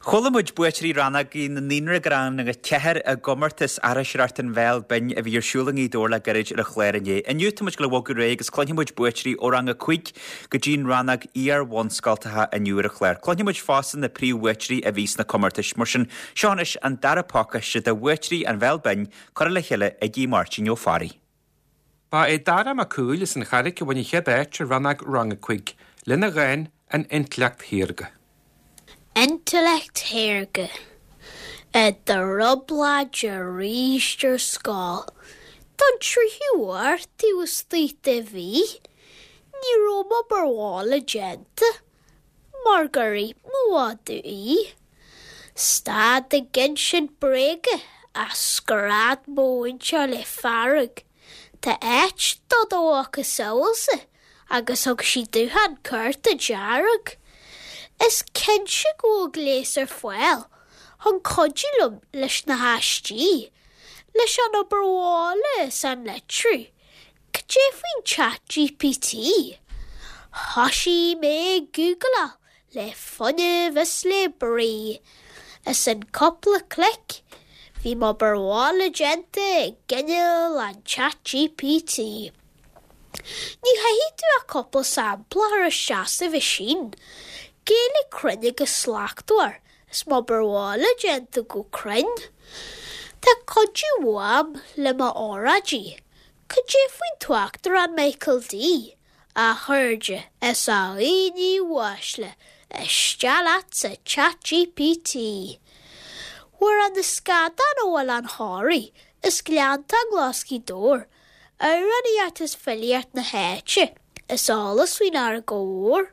Chuala muid buaiteoirí rannógaí na naíonra go rang a 4 i gcomórtas aithriseoireacht an Bhéil Binn a bhí ar siúl i nGaoth Dobhair le gairid ar an chlár inné. Inniu tá muid ag dul a bhogadh ar aghaidh agus cluinfidh muid buaiteoirí ó rang a 5 go dtí an rannóg iar-bhunscoltacha inniu ar an chlár. Cluinfidh muid fosta na príomhbhuaiteoirí a bhí sna comórtais. Mar sin, seo anois an dara pacáiste de bhuaiteoirí an Bhéil Binn curtha le chéile ag Aodh Máirtín Ó Fearraigh. Ba é Dara Mac Cumhaill as an Charraic a bhain an chéad áit i rannóg Rang 5 lena dhán An Intleacht Shaorga. Intleacht Shaorga I dtrioblóid arís ar scoil don tríú huair taobh istigh de mhí. Ní raibh m'obair bhaile déanta mar gur ith mo mhadadh í. Stad ag insint bréaga a scread mo mhúinteoir le fearg. Tá áit do do mhacasamhailsa agus thug sí dúshlán cárta dearg. Is cinnte go bhfuil gléas ar fáil chun cuidiú liom leis na haistí, leis an obair bhaile is an litriú. Cad é faoin Chat GPT? Thoisigh mé ag gúgláil le fuinneamh is le brí. Is in cúpla clic, bhí m'obair bhaile déanta ag gineal an Chat GPT. Ní chaithfidh tú ach cúpla sampla a chur isteach sa mheaisín. Gaeilge cruinn agus slachtmhar is m'obair bhaile déanta go cruinn. Tá cuidiú uaim le m'óráidí. Cad é faoin tUachtarán Michael D? A chairde is a dhaoine uaisle, isteach leat sa Chat GPT! Amhrán na Scadán ó Oileán Thoraí is Gleanntán Glas Ghaoth Dobhair, amhránaíocht is filíocht na háite, is eolas faoin fharraige mhór.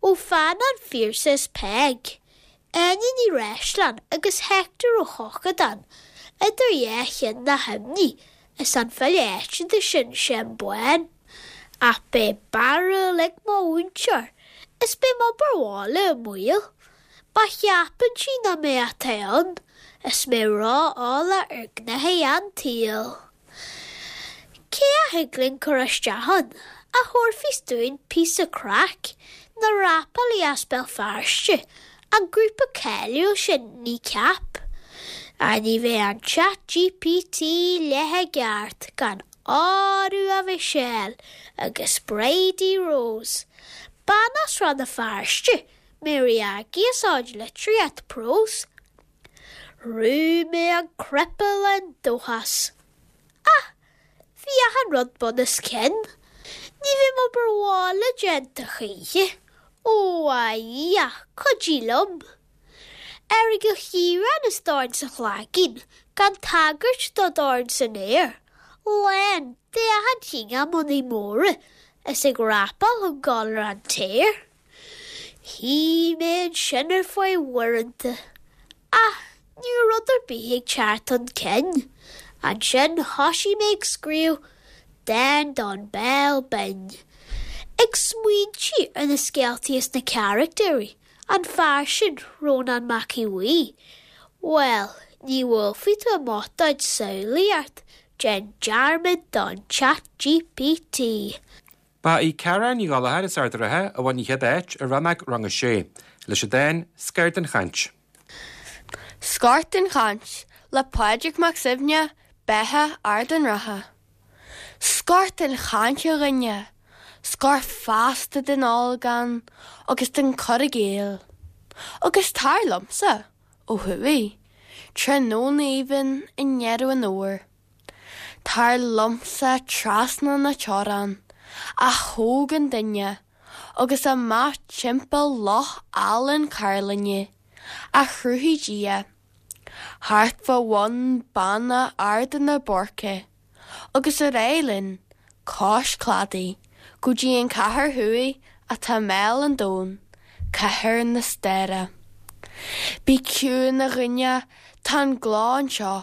Ó pheann an Phiarsaigh is Peig. Áine Ní Bhreisleáin agus Hector Ó hEochagáin, idir dhá cheann na himní is an file áitiúil sin Seán Bán. Ach beidh barúil ag mo mhúinteoir is beidh m'obair bhaile i mbaol má cheapann sí nach mé atá ann is mé ró-eolach ar ghnaithí an tsaoil. Cé a thig linn cur isteach ann a thabharfas dúinn píosa craic, na rapálaí as Béal Feirste, an grúpa cáiliúil sin Kneecap? Á ní bheadh an Chat GPT leath i gceart gan Óró a Mhichelle agus Bridie Rose, bean as Rann na Feirste, Mary Aggie as Ard Litríocht Prós. Bhrúigh mé an cnaipe le dóchas. Ach bhí achan rud bun os cionn. Ní bheidh m'obair bhaile déanta choíche. Ó a Dhia, cuidigh liom. Aireagal Chiaráin is dorn sa chlaigín, gan tagairt do dorn san aer, lán de achan chineál mionnaí móra is ag rapáil chun dul ar an téar. Shuigh mé ansin ar feadh uaireanta, ach ní raibh rud ar bith ag teacht chun cinn. Ansin thoisigh mé ag scríobh dán don Béal Binn, ag smaointiú ar na scéaltaí is na caractéirí, an fear sin, Rónán Mac Aodha Bhuí. Bhuel, ní bhuailfidh tú i mbotáid samhlaíocht, déan dearmad don Chat GPT. Ba í Ceara Ní Ghallchóir as Ard an Rátha a bhain an chéad áit i rannóg Rang 6, leis an dán 'Scor den Chaint'. Scor den Chaint le Pádraig Mac Suibhne, Beatha Ard an Rátha. Scor den chaint a dhuine, scor feasta den olagón agus den cur i gcéill. Agus tar liomsa, ó thuaidh, tráthnóna aoibhinn i ndeireadh an fhómhair. Tar liomsa trasna na teorann, a thóg an duine, agus amach timpeall loch álainn Cairlinne, a chruthaigh Dia, thart fá bhun Banna Arda na Boirche, agus ar aghaidh linn, cois cladaigh, go dtí an chathair thuaidh atá i mbéal an domhain, cathair na staire. Bí ciúin a dhuine, tá an gleo anseo.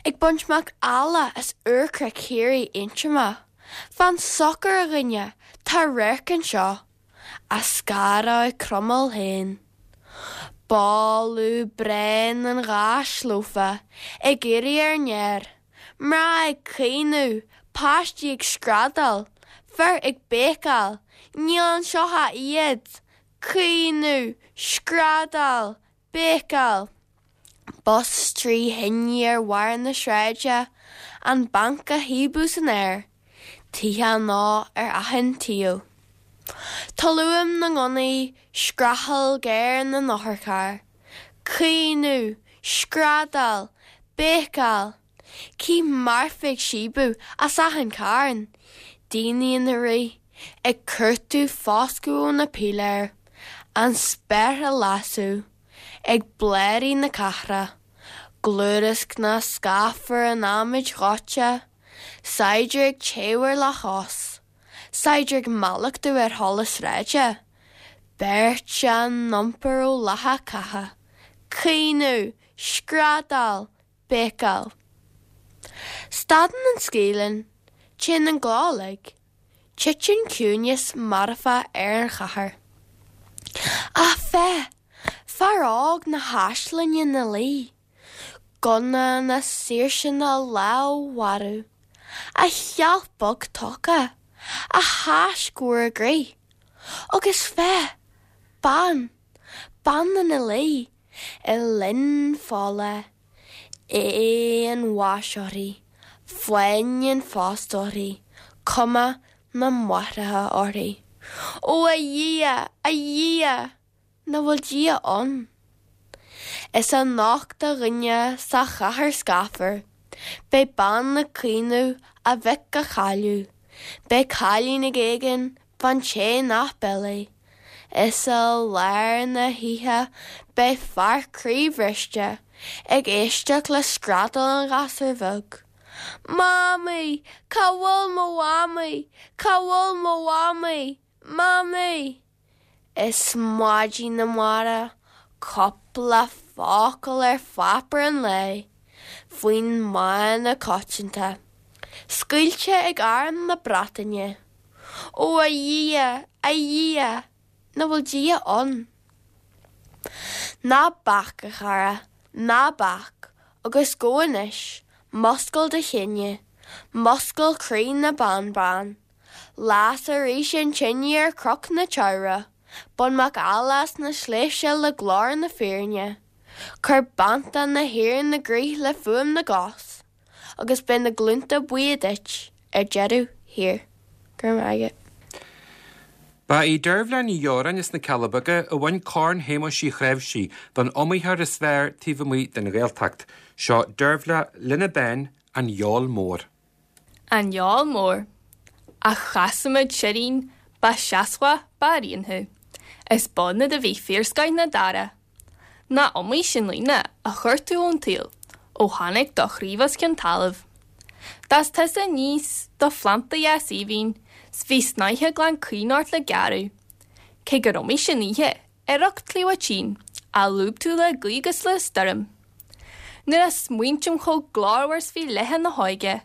Ag baint macalla as úrchnoic Chiarraí Aontroma. Fan socair a dhuine, tá radharc anseo á scaradh ag Cromail féin. Boladh bréan an gháis lofa ag éirí ar an aer, mná ag caoineadh, páistí ag screadaíl, fir ag béiceáil, níl anseo ach iad, caoineadh, screadaíl! Béicáil! Bus 3 thine ar bharr na sráide, an banc á shaobhadh san aer, tithe á ndó ar achan taobh. Tolúim na ngunnaí, screachail ghéar na n-otharcharr. Caoineadh, screadaíl, béicáil. Cith marfa ag síobadh as achan charn, daoine ina rith, ag cuartú foscadh ó na piléir, an spéir á lasadh, ag bladhairí na cathrach, gliúrasc na scáfar an adhmaid dhóite, saighdiúir ag téamh ar leathchos, saighdiúir ag mallachtú ar sholas sráide, beirt á n-iompar ó láthair catha, caoineadh, screadaíl, béicáil. Stadann an scaoileann, téann an gleo uilig, titeann ciúineas marfach ar an chathair. Ach féach! Fear óg na háislinne 'na luí, gunna na saoirse 'na lámh mharbh, a sheilf bheag tógtha, a thaisc mhór i gcrith. Agus féach! Bean! Bean ina luí i linn fola, aghaidh an bháis uirthi, fáinne an phost uirthi, cuma na máithreacha uirthi. Ó a Dhia, a Dhia! Nach bhfuil Dia ann? Is anocht a dhuine sa chathair scáfar, beidh bean ag caoineadh a mhic a cailleadh, beidh cailín ag éagan fán té nach b'eile. Is i lár na hoíche beidh fear croíbhriste ag éisteacht le screadaíl an ghasúir bheag. Mamaí! Cá bhfuil mo mhamaí? Cá bhfuil mo mhamaí? Mamaí! Is maidin amárach cúpla focal ar pháipéar an lae faoin mana coitianta, scaoilte ag Arm na Breataine. Ó a Dhia, a Dhia, nach bhfuil Dia ann? Ná bac, a chara, ná bac, agus gabh anois, muscail do chine, muscail croí na mban bán. Las arís an tine ar Chnoc na Teamhrach, bain macalla as na sléibhte le glór na fírinne, cuir beannta na hÉireann i gcrích le fuaim na gcos, agus beidh na glúnta buíoch duit ar deireadh thiar. Go raibh maith agat. Ba í Deirbhile Ní Dheoráin as na Cealla Beaga a bhain Corn Shéamuis Uí Chnáimhsí don iomaitheoir is fearr taobh amuigh den Ghaeltacht. Seo Deirbhile lena dán An Fheoil Mhór. An Fheoil Mhór. A chasamad sirrín, ba seasmhach ba ríon thú. Is b'ionad a bhí fíorscoith na dara. Nach iomaí sin aoine a chuir tú ón tsaol ó tháinig do chraobh os cionn talaimh. D'fhás tusa aníos do phlanda dheas aoibhinn 's bhí snáithe glan caoin ort le gearradh. Cé gur iomaí sin oíche ar ucht cliabhach tinn a lúb tú le gaoth 'gus le stoirm. Nuair a smaointim chomh glórmhar 's bhí laethe na hóige,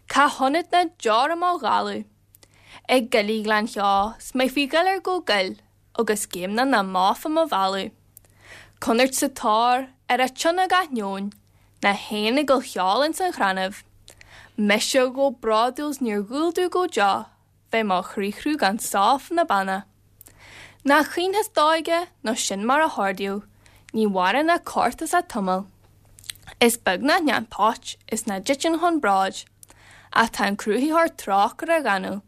cá hionad ná deora mo dhalladh. Ag goilí Ghleann Cheo 's mé faoi ghiolar go goil agus géimneach na mbó fá mo mhealladh. Conairt sa tóir ar a tionna gach neoin, na héin ag gol cheoil ins an chrannaibh. Mise chomh bródúil 's níor dhual domh go deo bheith mo chriathrú gan só fá na beanna. Nach caoinfeas d'óige nó sin mar a hordaíodh, ní mhaireann ach corp is a' tuimeal. Is beag nach ndéan póit is ná dtiteann chun bróid, ach tá an Cruthaitheoir trócaire ghanúil.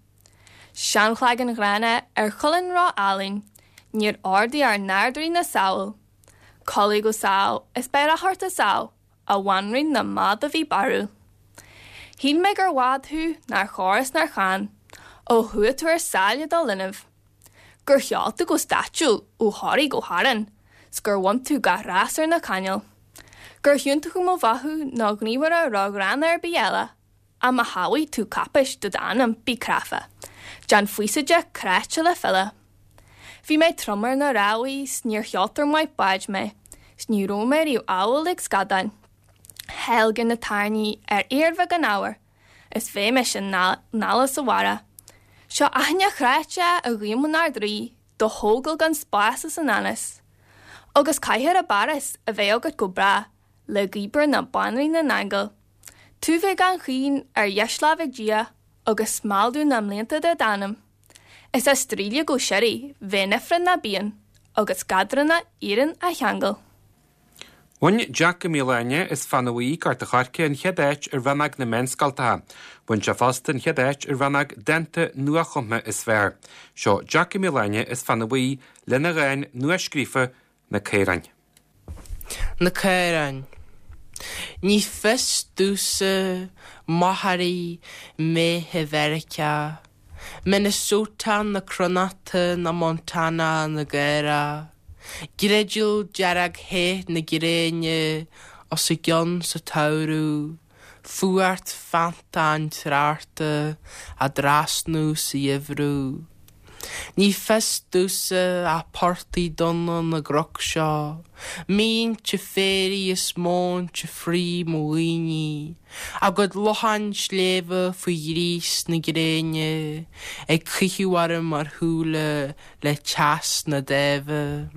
Seanchloigeann ghránna ar cholainn ró-álainn, níor ordaigh ár nArd-Rí na Samhal. Codlaigh go sámh is beidh rath ort is ádh, a bhanríon na mba do bhí barrúil. Shíl mé gur bhád thú nár chóir is nár chán, ó chuaigh tú ar sáile do linbh. Gur sheol tú go stáitsiúil ó Thoraigh go hÁrainn, 's gur bhain tú gach rás ar na cainéil. Gur hiontach mo mhothú ná gníomhaire ró-ghránna ar bith eile, ach má shamhlaigh tú cáipéis do d'ainm, bí cráifeach. Déan phíosa de cráite le filleadh. Bhí mé trom ar na rámhaí 's níor sheoltóir maith báid mé, 's ní raibh mé riamh amhail ag scadáin. Theilgean na tairní ar fhéar bheag an ábhair, is bheidh mise nála sa bharra. Seo aithne chráite a ghuím an Ard-Rí do thógáil gan spás as an anas. Agus cathair i bPáras a bheidh agat go bráth le gaothmhar na Banríona n-aingeal. Tú bheith gan chaoin ar dheisláimh ag Dia agus smaldú na mblianta de d'anam. Is á streachailt go síoraí bheith in ifreann ná bíonn agus eadranna iarainn á cheangal. Bhain Jack Ó Mialáine as Fannadh Bhuí, Gort a' Choirce, an chéad áit i rannóg na meánscoltacha. Bhain sé fosta an chéad áit i rannóg Dánta Nuachumtha is Fearr. Seo Jack Ó Mialáine as Fannadh Bhuí lena dhán nuascríofa Na Caoráin. Na Caoráin. Ní fios domhsa machairí méithe Mheiriceá, Minnesota na cronachta ná Montana na gcaorach, Griodail dearg the na gréine os a gcionn sa tsamhradh, fuacht feannta an treochta á dtrasnú sa gheimhreadh. Ní fios domhsa ach portaigh donna na gcnoc seo, míinte féaraigh is móinte fraoigh mo dhaoine, a gcuid lochán sléibhe faoi ghríos na gréine ag caitheamh orm mar shúile le teas na dáimhe.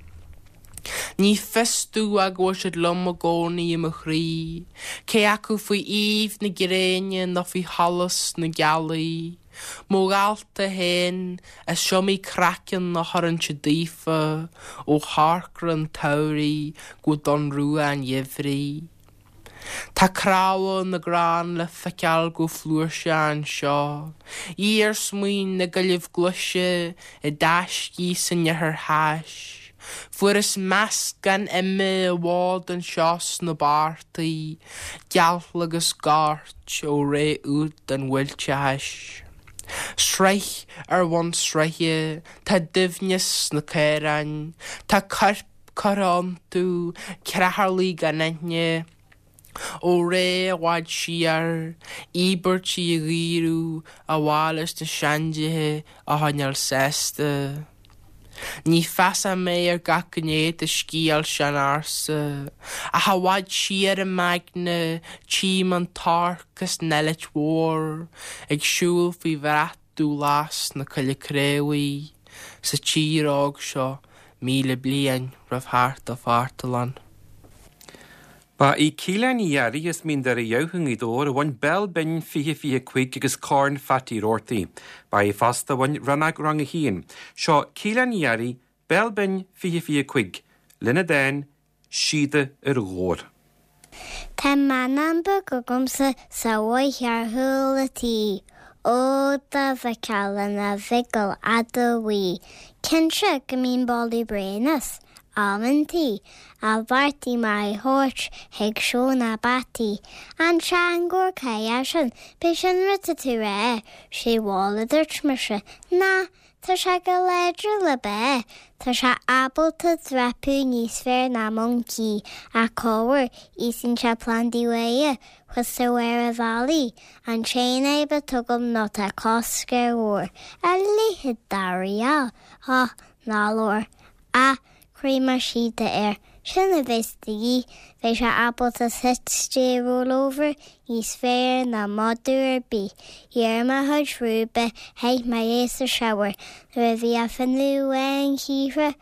Ní fios domh ach go bhfuil siad liom i gcónaí i mo chroí, cé acu faoi aoibh na gréine nó faoi sholas na gealaí. Mo dhalta féin, is iomaí craiceann a chuireann siad daofa ó chorcra an tsamhraidh go donn rua an gheimhridh. Tá cnámha na gcrann le feiceáil go flúirseach anseo, iarsmaí na gcoillibh glaise i dtaiscí san ithir thais. Fuarthas meascán ime i bhfad anseo sna portaigh, gealtla agus goirt ó ré úd an bhuailteachais. Sraith ar bhun sraithe, tá doimhneas sna caoráin, tá coirp curtha iontu, creatharlaigh gan aithne, ó ré i bhfad siar, íobairtí a dhaoradh ar mhaithe leis na seandéithe a choinneáil sásta. Ní feasach mé ar gach gné de scéal sean-ársa, ach i bhfad siar i m'aigne tchím an t-orc is an eilit mhór ag siúl faoi bhrat dúghlas na Coille Craobhaí sa tír óg seo 1,000 bliain roimh theacht an Phartaláin. Ba í Keelan Ní Fhearraigh as Mín Doire Dhamh i nGaoth Dobhair a bhain Béal Binn 2025 agus Corn Phatty Roarty. Ba í fosta a bhain rannóg Rang 1. Seo Keelan Ní Fhearraigh, Béal Binn 2025, lena dán Síoda ar Dhobhar. Tá meannán beag agamsa sa bhoth ar chúl a' tí, Ó dá bhfeicfeá lena bhiogal fhada bhuí, Cinnte go mbíonn boladh bréan as, amantaí, Ach bheartaigh mé é thabhairt chuig seó na bpeataí. An seangór cailleach sin, b'é sin rud tá tú rá, Sé bhal a dúirt mise, ná Tá sé go láidir le bá. Tá sé ábalta dreapadh níos fearr ná moncaí, ach corruair, íosann sé plandaí uaidhe, thuas ar bharr an bhealaigh. An t-aon fhadhb atá agam ná tá cosc ar Ghabhar a leithéid d'earraí a, ná labhair. Ach cuirfidh mé síoda air. Sin a bheas de dhíth. Beidh sé ábalta sit stay roll over níos fearr ná madadh ar bith. Ghearr mé a chuid rúibe, chaith mé é sa shower. Nuair a bhí a phionna bhán chíothra,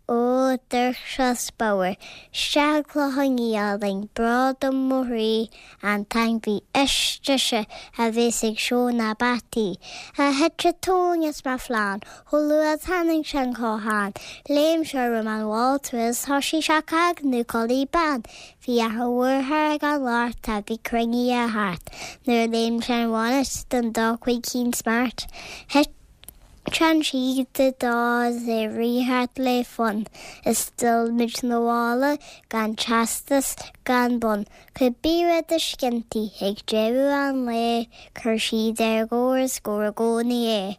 ó, d'amharc sé bodhar. Isteach i gClochán Liath, bród i mo chroí, an t-ainmhí is deise a bheas ag seó na bpeataí. A thit an tóin as mo chlann, Chomh luath is tháinig sé an cothán, léim sé roim an mháltra is thoisigh sé cog nó culaith bán. Bhí a dheartháir ag an lort a bhí cruinnithe thart nuair a léim sé an bhonnet don dá chuid cinn smart. Thit an síoda dó is é rith thart le fonn is d'fhill muid 'na bhaile gan teastas gan bonn. Cibé rud a scinntí ag deireadh an lae cuir síoda ar ghabhar is gabhar i gcónaí é.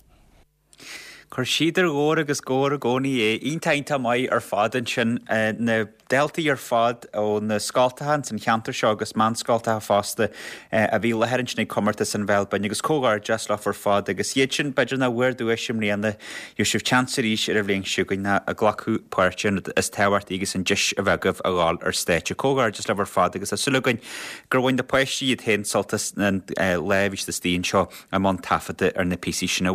Cuir síoda ar ghabhar agus gabhar i gcónaí é. Iontach iontach maith ar fad ansin. Na daltaí ar fad ó na scoltacha ins an cheantar seo agus meánscoltacha fosta a bhí i láthair ansin ag comórtas an Bhéil Binn agus comhghairdeas leofa ar fad agus iad sin b'fhéidir nach bhfuair duais i mbliana gheobhaidh sibh chance arís ar an bhliain seo chugainn ag glacadh páirte an rud is tábhachtaí agus an deis a bheith agaibh a ghabháil ar stáitse. Comhghairdeas libh ar fad agus tá súil againn gur bhain na páistí iad féin sult as an lá a bhí siad istigh anseo i mbun taifeadta ar na píosaí sin.